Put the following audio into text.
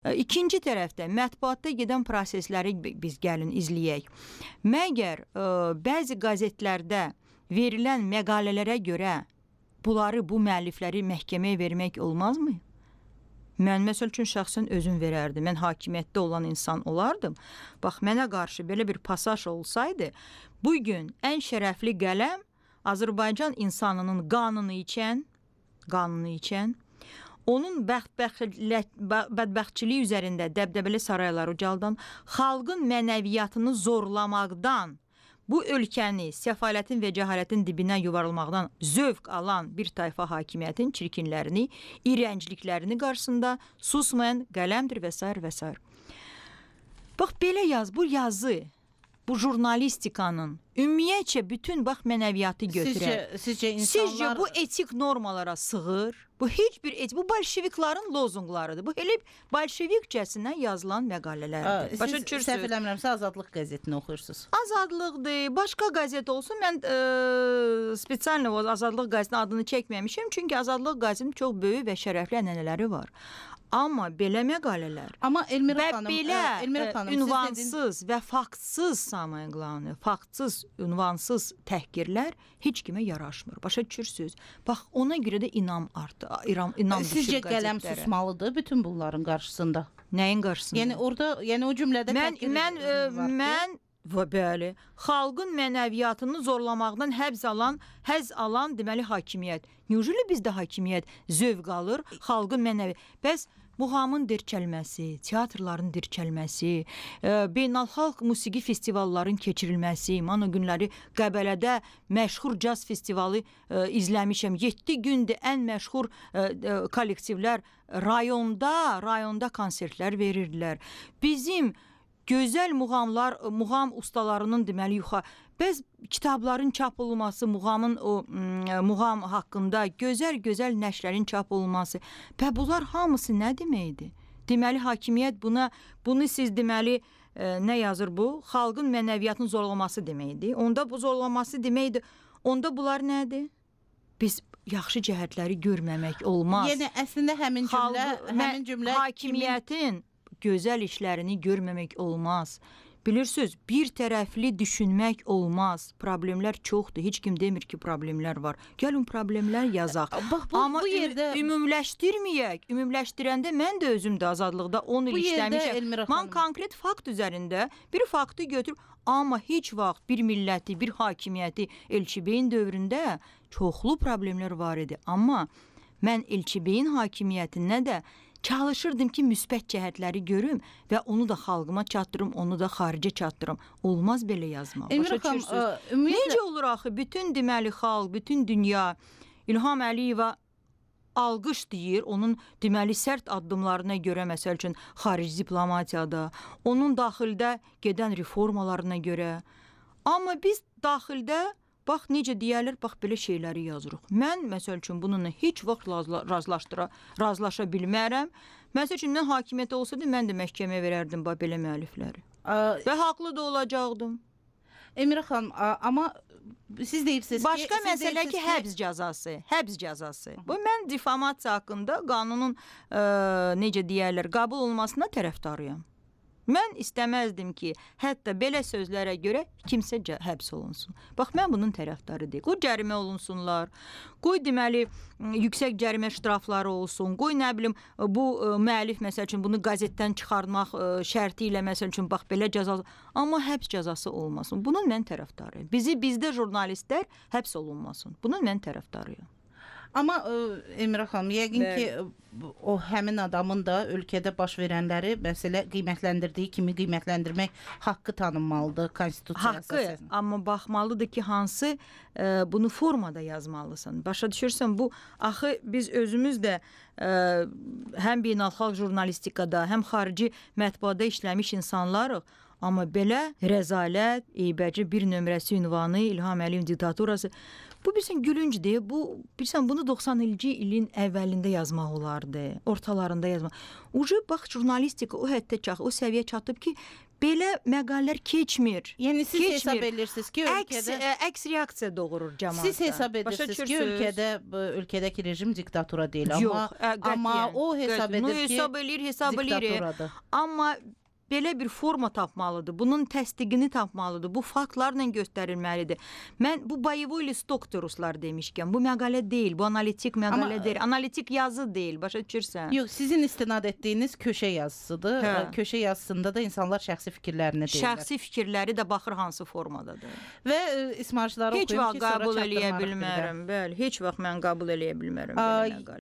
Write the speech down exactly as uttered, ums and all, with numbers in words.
İkinci tərəfdə mətbuatda gedən prosesləri biz gəlin izləyək. Məgər ə, bəzi qəzetlərdə verilən məqalələrə görə bunları, bu müəllifləri məhkəməyə vermək olmazmı? Mən məsəl üçün şəxsən özüm verərdim. Mən hakimiyyətdə olan insan olardım. Bax, mənə qarşı belə bir pasaj olsaydı, bugün ən şərəfli qələm Azərbaycan insanının qanını içən, qanını içən, onun bədbəxtçiliyi üzərində dəbdəbəli saraylar ucaldan, xalqın mənəviyyatını zorlamaqdan, bu ölkəni səfalətin və cəhalətin dibinə yuvarılmaqdan zövq alan bir tayfa hakimiyyətin çirkinlərini, iyrəncliklərini qarşısında susmayan qələmdir və s. və s. Bax, belə yaz, bu yazı, bu jurnalistikanın ümumiyyətcə bütün bax mənəviyyatı götürər. Sizcə, sizcə insanlar... Sizcə bu etik normalara sığır? Bu heç bir etik, bu bolşevikların lozunqlarıdır. Bu elə bolşevikcəsinə yazılan məqalələrdir. Siz səhv eləmirəmsə Azadlıq qəzetini oxuyursunuz. Azadlıqdır, başqa qəzet olsun. Mən e, spesialno Azadlıq qəzetinin adını çəkməmişəm. Çünki Azadlıq qəzetinin çox böyük və şərəfli ənənələri var. Amma belə məqalələr Amma Elmira xanım, belə Elmira xanım, ünvansız və faktsız samıqlanı, faktsız, ünvansız təhqirlər heç kimə yaraşmır. Başa düşürsünüz? Bax, ona görə də inam artdı. İram, inam Sizcə qələm susmalıdır bütün bunların qarşısında? Nəyin qarşısında? Yəni orada, yəni o cümlədə mən mən ə, mən və bəli, xalqın mənəviyyatını zorlamaqdan həbs alan, həzz alan deməli hakimiyyət. Necə bizdə hakimiyyət zövq alır, xalqın mənəvi. Bəs muğamın dirçəlməsi, teatrların dirçəlməsi, e, beynəlxalq musiqi festivalların keçirilməsi, mən o günləri Qəbələdə məşhur caz festivalı e, izləmişəm. yeddi gündür ən məşhur e, e, kollektivlər rayonda, rayonda konsertlər verirdilər. Bizim gözəl muğamlar, muğam ustalarının deməli yuxa, bəz kitabların çap olunması, muğamın o muğam haqqında gözəl-gözəl nəşrlərin çap olunması. Və bunlar hamısı nə deməkdir? Deməli hakimiyyət buna, bunu siz deməli e, nə yazır bu? Xalqın mənəviyyatını zorlaması deməkdir. Onda bu zorlaması deməkdir. Onda bunlar nədir? Biz yaxşı cəhətləri görməmək olmaz. Yəni əslində həmin cümlə, Xalq, həmin cümlə hakimiyyətin kimin... gözəl işlərini görməmək olmaz. Bilirsiniz, bir tərəfli düşünmək olmaz. Problemlər çoxdur. Heç kim demir ki, problemlər var. Gəlin problemlər yazaq. Bax, bu, Amma bu yerdə ümumləşdirməyək. Ümumləşdirəndə mən də özümdə Azadlıqda on il işləmişəm. Mən konkret fakt üzərində bir faktı götürüb, amma heç vaxt bir milləti, bir hakimiyyəti Elçibəyin dövründə çoxlu problemlər var idi. Amma mən Elçibəyin hakimiyyətinə də çalışırdım ki, müsbət cəhətləri görüm və onu da xalqıma çatdırım, onu da xaricə çatdırım. Olmaz belə yazmaq. Başa düşürsünüz? Necə olur axı? Bütün deməli xalq, bütün dünya İlham Əliyeva alqış deyir, onun deməli sərt addımlarına görə, məsəl üçün xarici diplomatiyada, onun daxildə gedən reformalarına görə. Amma biz daxildə bax, necə deyərlər, bax, belə şeyləri yazırıq. Mən, məsəl üçün, bununla heç vaxt razılaşdıra, razılaşa bilmərəm. Məsəl üçün, mən hakimiyyətə olsaydı, mən də məhkəməyə verərdim bax, belə müəllifləri. Və haqlı da olacaqdım. Emira xanım, amma siz deyirsiniz ki... Başqa məsələ ki, həbs cəzası, həbs cəzası. Bu, mən difamasiya haqqında qanunun, ə, necə deyərlər, qəbul olmasına tərəfdarıyam. Mən istəməzdim ki, hətta belə sözlərə görə kimsə həbs olunsun. Bax, mən bunun tərəfdarı deyil. Qoy cərimə olunsunlar, qoy deməli, yüksək cərimə ştrafları olsun, qoy nə bilim, bu müəllif, məsəl üçün, bunu qəzetdən çıxarmaq şərti ilə, məsəl üçün, bax, belə cəzası, amma həbs cəzası olmasın. Bunun mən tərəfdarıyım. Bizi, bizdə jurnalistlər həbs olunmasın. Bunun mən tərəfdarıyım. Amma Emira xanım, yəqin ki, o həmin adamın da ölkədə baş verənləri məsələ qiymətləndirdiyi kimi qiymətləndirmək haqqı tanınmalıdır konstitusiyaya əsasən. Haqqı, amma baxmalıdır ki, hansı e, bunu formada yazmalısan. Başa düşürsən, bu axı biz özümüz də e, həm beynəlxalq jurnalistikada, həm xarici mətbuada işləmiş insanlarıq. Amma belə rəzalət, eybəcə bir nömrəsi ünvanı, İlham Əliyev diktaturası, bu bilsən gülüncdür. Bu bilsən bunu doxsanıncı ilin əvvəlində yazmaq olardı, ortalarında yazmaq. Ucu bax jurnalistika o həddə çatıb, o səviyyə çatıb ki, belə məqalələr keçmir. Yəni siz Keçmir. hesab edirsiniz ki, Əks, ölkədə ə, əks reaksiya doğurur cəmaatda. siz hesab edirsiniz ki, ölkədə bu ölkədəki rejim diktatura deyil, Yox, amma ə, qətiyyən, amma o hesab qətiyyən. edir No, ki, hesab eləyir, hesab eləyir. diktaturadır. Amma belə bir forma tapmalıdır. Bunun təsdiqini tapmalıdır. Bu faktlarla göstərilməlidir. Mən bu boyevoy listok ruslar demişkən, bu məqalə deyil, bu analitik məqalə Amma, deyil. Analitik yazı deyil, başa düşürsən? Yox, sizin istinad etdiyiniz köşə yazısıdır. Hə. Köşə yazısında da insanlar şəxsi fikirlərini deyirlər. Şəxsi fikirləri də baxır hansı formadadır. Və e, ismarçıları Heç oxuyum vaxt ki, sonra qəbul eləyə çatdırmarıq bir də. bilmərəm. Bəli, heç vaxt mən qəbul eləyə bilmərəm Ay, belə məqalə.